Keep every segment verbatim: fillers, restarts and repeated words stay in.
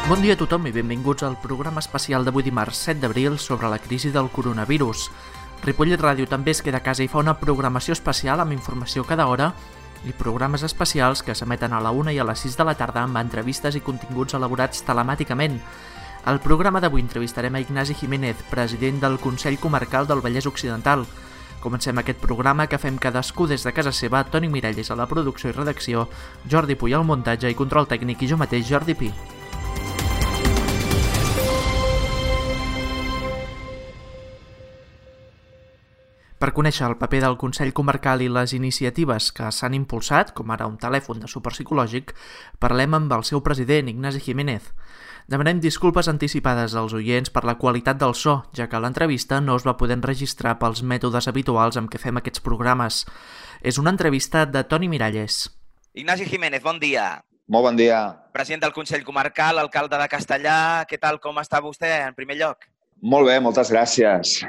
Bon dia a tothom i benvinguts al programa especial d'avui dimarts set d'abril sobre la crisi del coronavirus. Ripollet Ràdio també es queda a casa i fa una programació especial amb informació cada hora i programes especials que s'emeten a la una i a les sis de la tarda amb entrevistes i continguts elaborats telemàticament. Al programa d'avui entrevistarem a Ignasi Jiménez, president del Consell Comarcal del Vallès Occidental. Comencem aquest programa que fem cadascú des de casa seva, Toni Miralles a la producció i redacció, Jordi Puy al muntatge i control tècnic i jo mateix, Jordi Pi. Per conèixer el paper del Consell Comarcal i les iniciatives que s'han impulsat, com ara un telèfon de suport psicològic, parlem amb el seu president, Ignasi Jiménez. Demanem disculpes anticipades als oients per la qualitat del so, ja que l'entrevista no es va poder enregistrar pels mètodes habituals amb què fem aquests programes. És una entrevista de Toni Miralles. Ignasi Jiménez, bon dia. Molt bon dia. President del Consell Comarcal, alcalde de Castellar. Què tal, com està vostè, en primer lloc? Molt bé, moltes gràcies.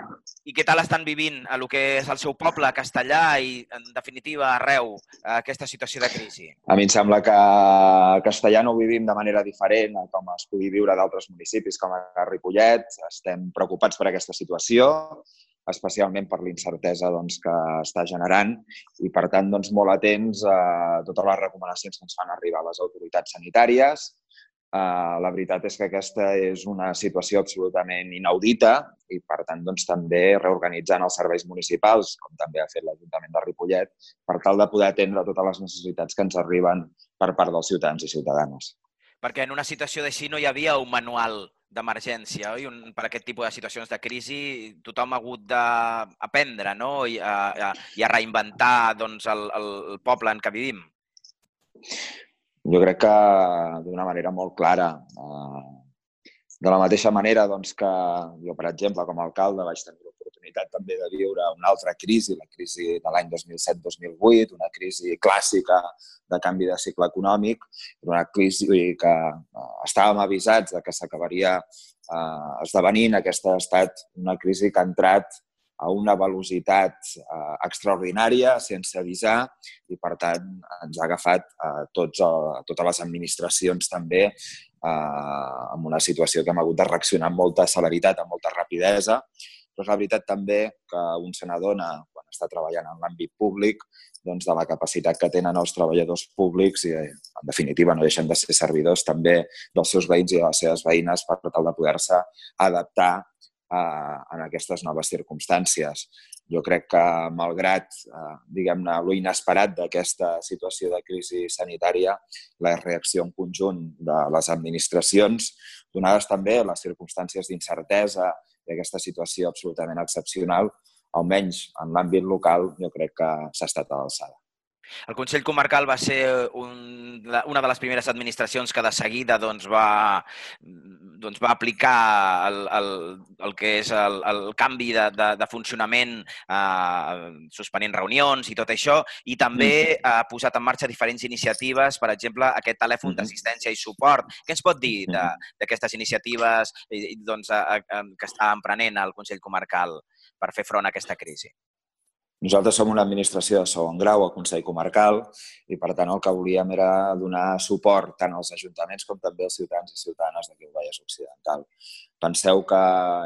I què tal estan vivint a lo que és el seu poble, a Castellar, i, en definitiva, arreu, aquesta situació de crisi? A mi em sembla que a Castellar no ho vivim de manera diferent a com es pugui viure d'altres municipis, com a Ripollet. Estem preocupats per aquesta situació, especialment per l'incertesa doncs, que està generant i, per tant, doncs, molt atents a totes les recomanacions que ens fan arribar a les autoritats sanitàries. Uh, la veritat és que aquesta és una situació absolutament inaudita i, per tant, doncs, també reorganitzant els serveis municipals, com també ha fet l'Ajuntament de Ripollet, per tal de poder atendre totes les necessitats que ens arriben per part dels ciutadans i ciutadanes. Perquè en una situació d'així no hi havia un manual d'emergència, oi? Un, per aquest tipus de situacions de crisi tothom ha hagut d'aprendre, no? I a, a, i a reinventar doncs, el, el poble en què vivim. Jo crec que d'una manera molt clara. De la mateixa manera doncs, que jo, per exemple, com a alcalde vaig tenir l'oportunitat també de viure una altra crisi, la crisi de l'any dos mil set dos mil vuit, una crisi clàssica de canvi de cicle econòmic, una crisi que estàvem avisats de que s'acabaria esdevenint. Aquesta ha estat una crisi que ha entrat a una velocitat eh, extraordinària, sense avisar, i per tant ens ha agafat a, tots, a totes les administracions també eh, en una situació que hem hagut de reaccionar amb molta celeritat, amb molta rapidesa. Però és la veritat també que un se n'adona, quan està treballant en l'àmbit públic, doncs, de la capacitat que tenen els treballadors públics i, en definitiva, no deixen de ser servidors també dels seus veïns i de les seves veïnes per tal de poder-se adaptar en aquestes noves circumstàncies. Jo crec que, malgrat diguem-ne, lo inesperat d'aquesta situació de crisi sanitària, la reacció en conjunt de les administracions, donades també les circumstàncies d'incertesa i aquesta situació absolutament excepcional, almenys en l'àmbit local, jo crec que s'ha estat a l'alçada. El Consell Comarcal va ser un, una de les primeres administracions que de seguida doncs, va, doncs, va aplicar el, el, el que és el, el canvi de, de, de funcionament, eh, suspenent reunions i tot això, i també ha posat en marxa diferents iniciatives, per exemple, aquest telèfon d'assistència i suport. Què ens pot dir d'aquestes iniciatives doncs, a, a, que està emprenent el Consell Comarcal per fer front a aquesta crisi? Nosaltres som una administració de segon grau al Consell Comarcal i, per tant, el que volíem era donar suport tant als ajuntaments com també als ciutadans i ciutadanes d'aquí al Vallès Occidental. Penseu que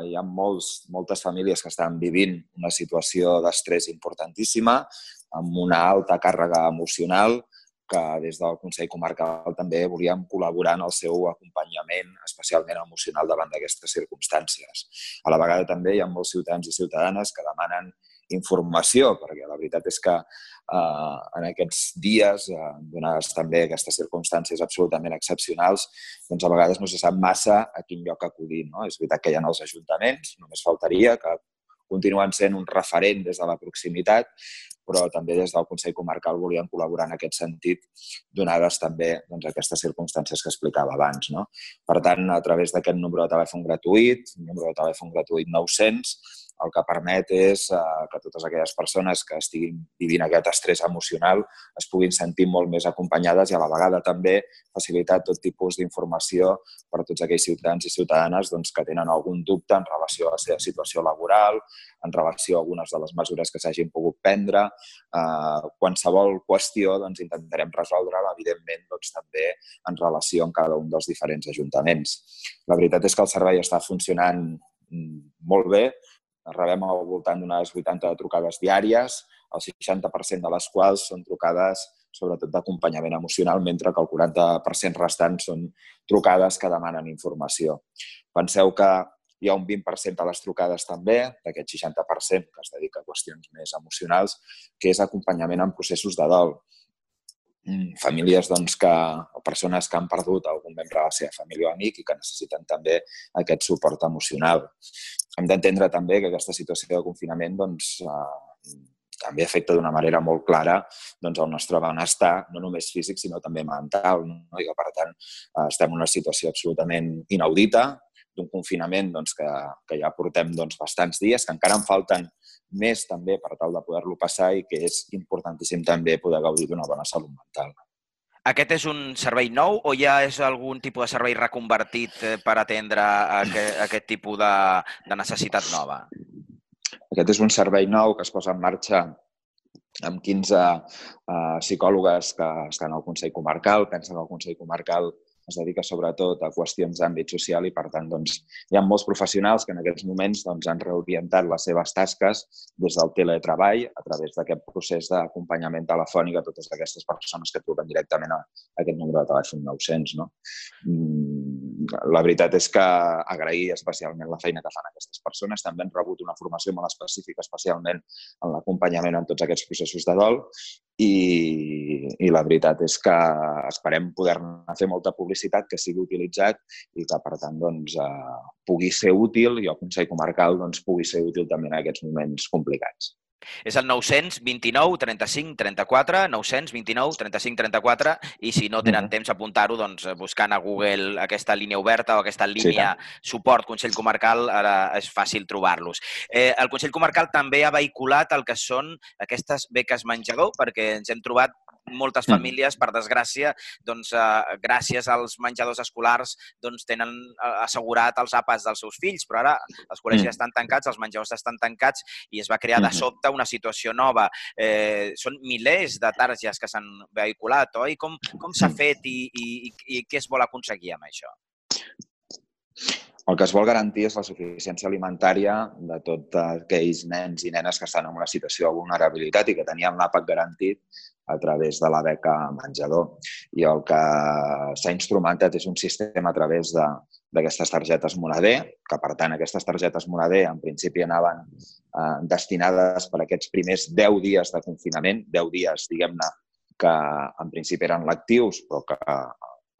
hi ha molts, moltes famílies que estan vivint una situació d'estrès importantíssima, amb una alta càrrega emocional, que des del Consell Comarcal també volíem col·laborar en el seu acompanyament, especialment emocional, davant d'aquestes circumstàncies. A la vegada també hi ha molts ciutadans i ciutadanes que demanen informació, perquè la veritat és que eh, en aquests dies, eh, donades també aquestes circumstàncies absolutament excepcionals, doncs a vegades no se sap massa a quin lloc acudir. No? És veritat que hi ha els ajuntaments, només faltaria, que continuen sent un referent des de la proximitat, però també des del Consell Comarcal volien col·laborar en aquest sentit, donades també doncs, aquestes circumstàncies que explicava abans. No? Per tant, a través d'aquest número de telèfon gratuït, número de telèfon gratuït nou-cents, el que permet és que totes aquelles persones que estiguin vivint aquest estrès emocional es puguin sentir molt més acompanyades i a la vegada també facilitar tot tipus d'informació per a tots aquells ciutadans i ciutadanes que tenen algun dubte en relació a la seva situació laboral, en relació a algunes de les mesures que s'hagin pogut prendre. Qualsevol qüestió intentarem resoldre-la, evidentment, també en relació amb cada un dels diferents ajuntaments. La veritat és que el servei està funcionant molt bé. Rebem al voltant d'unes vuitanta trucades diàries, el seixanta per cent de les quals són trucades sobretot d'acompanyament emocional, mentre que el quaranta per cent restant són trucades que demanen informació. Penseu que hi ha un vint per cent de les trucades també, d'aquest seixanta per cent que es dedica a qüestions més emocionals, que és acompanyament en processos de dol. Famílies que, o persones que han perdut algun membre de la seva família o amic i que necessiten també aquest suport emocional. Hem d'entendre també que aquesta situació de confinament doncs, eh, també afecta d'una manera molt clara doncs, el nostre benestar, no només físic, sinó també mental. No? I que, per tant, eh, estem en una situació absolutament inaudita, d'un confinament doncs, que, que ja portem doncs, bastants dies, que encara en falten més també per tal de poder-lo passar i que és importantíssim també poder gaudir d'una bona salut mental. Aquest és un servei nou o ja és algun tipus de servei reconvertit per atendre aquest, aquest tipus de, de necessitat nova? Aquest és un servei nou que es posa en marxa amb quinze uh, psicòlogues que estan al Consell Comarcal. Pensa que el Consell Comarcal es dedica sobretot a qüestions d'àmbit social i, per tant, doncs, hi ha molts professionals que en aquests moments doncs, han reorientat les seves tasques des del teletreball a través d'aquest procés d'acompanyament telefònic a totes aquestes persones que truquen directament a aquest número de telèfon nou-cents. No? La veritat és que agrair especialment la feina que fan aquestes persones. També han rebut una formació molt específica, especialment en l'acompanyament en tots aquests processos de dol i, i la veritat és que esperem poder-ne fer molta publicitat, que sigui utilitzat i que, per tant, doncs, eh, pugui ser útil i el Consell Comarcal doncs, pugui ser útil també en aquests moments complicats. És el nou-cents vint-i-nou trenta-cinc trenta-quatre, nou-cents vint-i-nou trenta-cinc trenta-quatre i si no tenen temps apuntar-ho, doncs buscant a Google aquesta línia oberta o aquesta línia sí, suport Consell Comarcal, ara és fàcil trobar-los. Eh, el Consell Comarcal també ha vehiculat el que són aquestes beques menjador, perquè ens hem trobat moltes famílies, per desgràcia, doncs, eh, gràcies als menjadors escolars, doncs, tenen assegurat els àpats dels seus fills, però ara els col·legis estan tancats, els menjadors estan tancats i es va crear de sobte una situació nova. Eh, són milers de targes que s'han vehiculat, oi? Com, com s'ha fet i, i, i què es vol aconseguir amb això? El que es vol garantir és la suficiència alimentària de tots aquells nens i nenes que estan en una situació de vulnerabilitat i que tenien l'àpat garantit a través de la beca menjador. I el que s'ha instrumentat és un sistema a través d'aquestes targetes Moneder, que per tant aquestes targetes Moneder en principi anaven eh, destinades per aquests primers deu dies de confinament, deu dies, diguem-ne, que en principi eren lectius, però que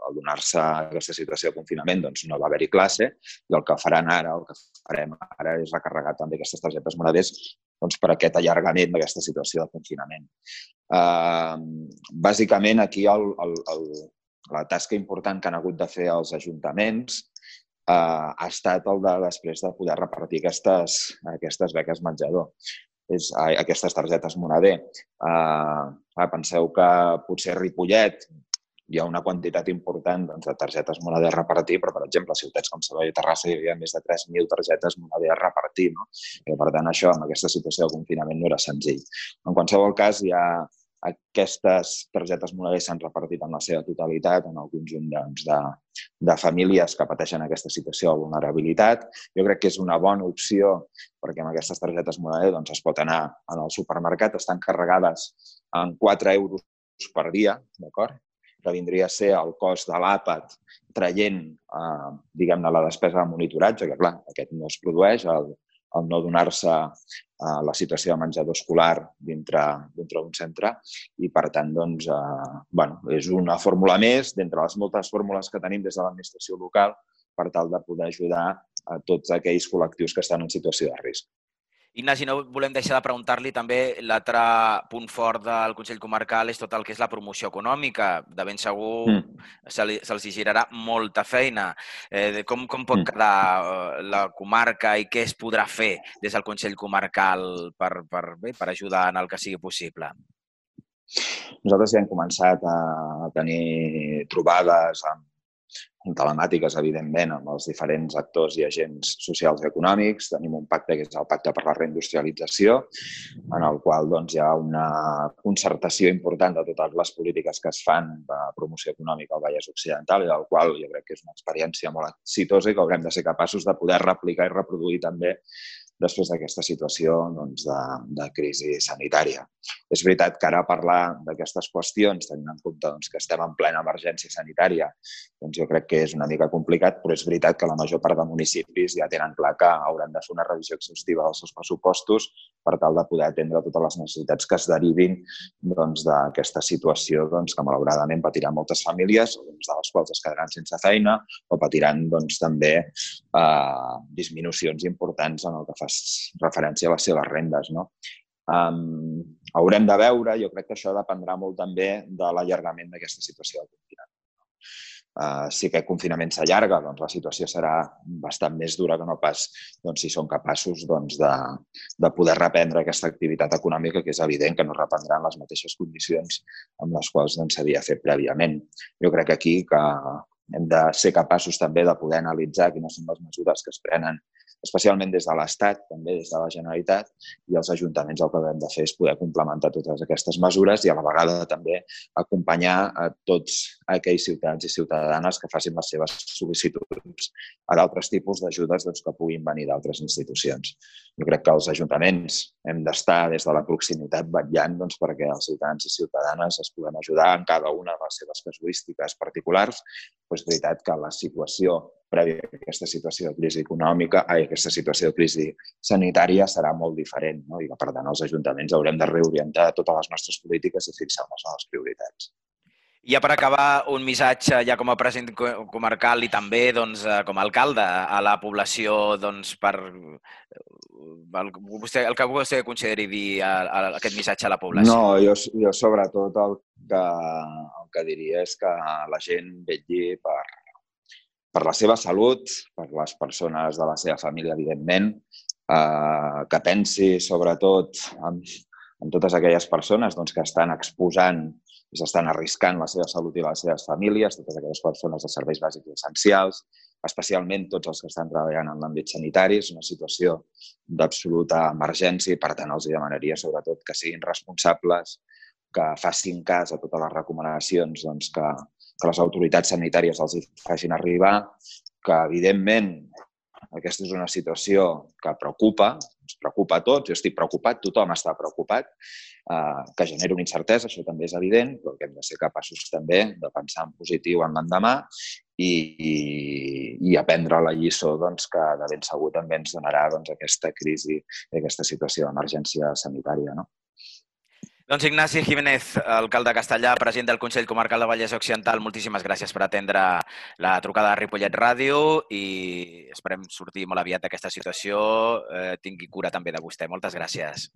al donar-se aquesta situació de confinament doncs no va haver-hi classe i el que faran ara, el que farem ara és recarregar també aquestes targetes Moneder doncs, per aquest allargament d'aquesta situació de confinament. Uh, bàsicament, aquí el, el, el, la tasca important que han hagut de fer els ajuntaments uh, ha estat el de després de poder repartir aquestes, aquestes beques menjador, és, uh, aquestes targetes Moneder. Uh, uh, penseu que potser a Ripollet hi ha una quantitat important doncs, de targetes Moneder a repartir, però, per exemple, a ciutats com Sabadell i Terrassa hi havia més de tres mil targetes Moneder a repartir. No? I, per tant, això, amb aquesta situació de confinament, no era senzill. En qualsevol cas, hi ha aquestes targetes Moneder s'han repartit en la seva totalitat en el conjunt doncs, de, de famílies que pateixen aquesta situació de vulnerabilitat. Jo crec que és una bona opció perquè amb aquestes targetes Moneder doncs, es pot anar al supermercat, estan carregades en quatre euros per dia, d'acord? Que vindria a ser el cost de l'àpat traient, eh, diguem-ne, la despesa de monitoratge, que clar, aquest no es produeix, el, el no donar-se eh, la situació de menjador escolar dintre d'un centre i, per tant, doncs, eh, bueno, és una fórmula més d'entre les moltes fórmules que tenim des de l'administració local per tal de poder ajudar a tots aquells col·lectius que estan en situació de risc. Ignasi, no volem deixar de preguntar-li també l'altre punt fort del Consell Comarcal és tot el que és la promoció econòmica. De ben segur mm. se'ls se girarà molta feina. Eh, com, com pot mm. quedar la comarca i què es podrà fer des del Consell Comarcal per, per, bé, per ajudar en el que sigui possible? Nosaltres ja hem començat a tenir trobades amb telemàtiques, evidentment, amb els diferents actors i agents socials i econòmics. Tenim un pacte que és el Pacte per la Reindustrialització, en el qual doncs, hi ha una concertació important de totes les polítiques que es fan de promoció econòmica al Vallès Occidental i del qual jo crec que és una experiència molt exitosa i que haurem de ser capaços de poder replicar i reproduir també després d'aquesta situació doncs, de, de crisi sanitària. És veritat que ara parlar d'aquestes qüestions, tenint en compte doncs, que estem en plena emergència sanitària, doncs jo crec que és una mica complicat, però és veritat que la major part de municipis ja tenen clar que hauran de fer una revisió exhaustiva dels seus pressupostos per tal de poder atendre totes les necessitats que es derivin doncs, d'aquesta situació doncs, que malauradament patiran moltes famílies, doncs, de les quals es quedaran sense feina o patiran doncs, també eh, disminucions importants en el que fa referència a les seves rendes. No? Um, haurem de veure, jo crec que això dependrà molt també de l'allargament d'aquesta situació del confinament. Uh, si aquest confinament s'allarga, doncs la situació serà bastant més dura que no pas doncs, si són capaços doncs, de, de poder reprendre aquesta activitat econòmica, que és evident que no reprendran les mateixes condicions amb les quals doncs, s'havia fet prèviament. Jo crec que aquí que hem de ser capaços també de poder analitzar quines són les mesures que es prenen, especialment des de l'Estat, també des de la Generalitat, i els ajuntaments el que hem de fer és poder complementar totes aquestes mesures i a la vegada també acompanyar a tots aquells ciutadans i ciutadanes que facin les seves sol·licituds a d'altres tipus d'ajudes doncs, que puguin venir d'altres institucions. Jo crec que els ajuntaments hem d'estar des de la proximitat vetllant doncs, perquè els ciutadans i ciutadanes es puguem ajudar en cada una de les seves casuístiques particulars. Però és veritat que la situació prèvia a aquesta situació de crisi econòmica, a aquesta situació de crisi sanitària serà molt diferent, no? I que, per tant, els ajuntaments haurem de reorientar totes les nostres polítiques i fixar les noves prioritats. I ja per acabar, un missatge ja com a president comarcal i també doncs, com a alcalde a la població doncs, per el, vostè, el que vostè consideri dir a, a aquest missatge a la població. No, jo, jo sobretot el que, el que diria és que la gent vetlli per, per la seva salut, per les persones de la seva família, evidentment, eh, que pensi sobretot en, en totes aquelles persones doncs, que estan exposant i s'estan arriscant la seva salut i les seves famílies, totes aquelles persones de serveis bàsics i essencials, especialment tots els que estan treballant en l'àmbit sanitari. És una situació d'absoluta emergència i, per tant, els demanaria sobretot que siguin responsables, que facin cas a totes les recomanacions doncs, que, que les autoritats sanitàries els facin arribar, que, evidentment, aquesta és una situació que preocupa, ens preocupa a tots, jo estic preocupat, tothom està preocupat, eh, que genera una incertesa, això també és evident, però que hem de ser capaços també de pensar en positiu en l'endemà i, i, i aprendre la lliçó doncs, que de ben segur també ens donarà doncs, aquesta crisi i aquesta situació d'emergència sanitària. No? Doncs Ignasi Jiménez, alcalde de Castellar, president del Consell Comarcal de Vallès Occidental, moltíssimes gràcies per atendre la trucada de Ripollet Ràdio i esperem sortir molt aviat d'aquesta situació. Eh, tingui cura també de vostè. Moltes gràcies.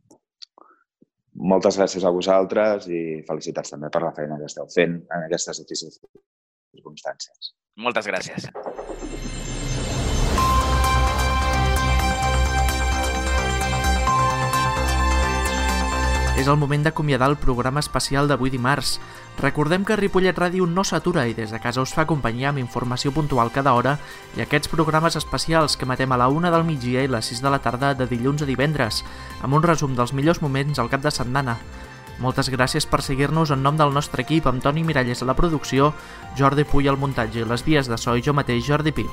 Moltes gràcies a vosaltres i felicitats també per la feina que esteu fent en aquestes difícils circumstàncies. Moltes gràcies. És el moment d'acomiadar el programa especial d'avui dimarts. Recordem que Ripollet Ràdio no s'atura i des de casa us fa companyia amb informació puntual cada hora i aquests programes especials que emetem a la una del migdia i les sis de la tarda de dilluns a divendres, amb un resum dels millors moments al cap de setmana. Moltes gràcies per seguir-nos en nom del nostre equip, amb Toni Miralles a la producció, Jordi Puy al muntatge i les vies de so i jo mateix, Jordi Pi.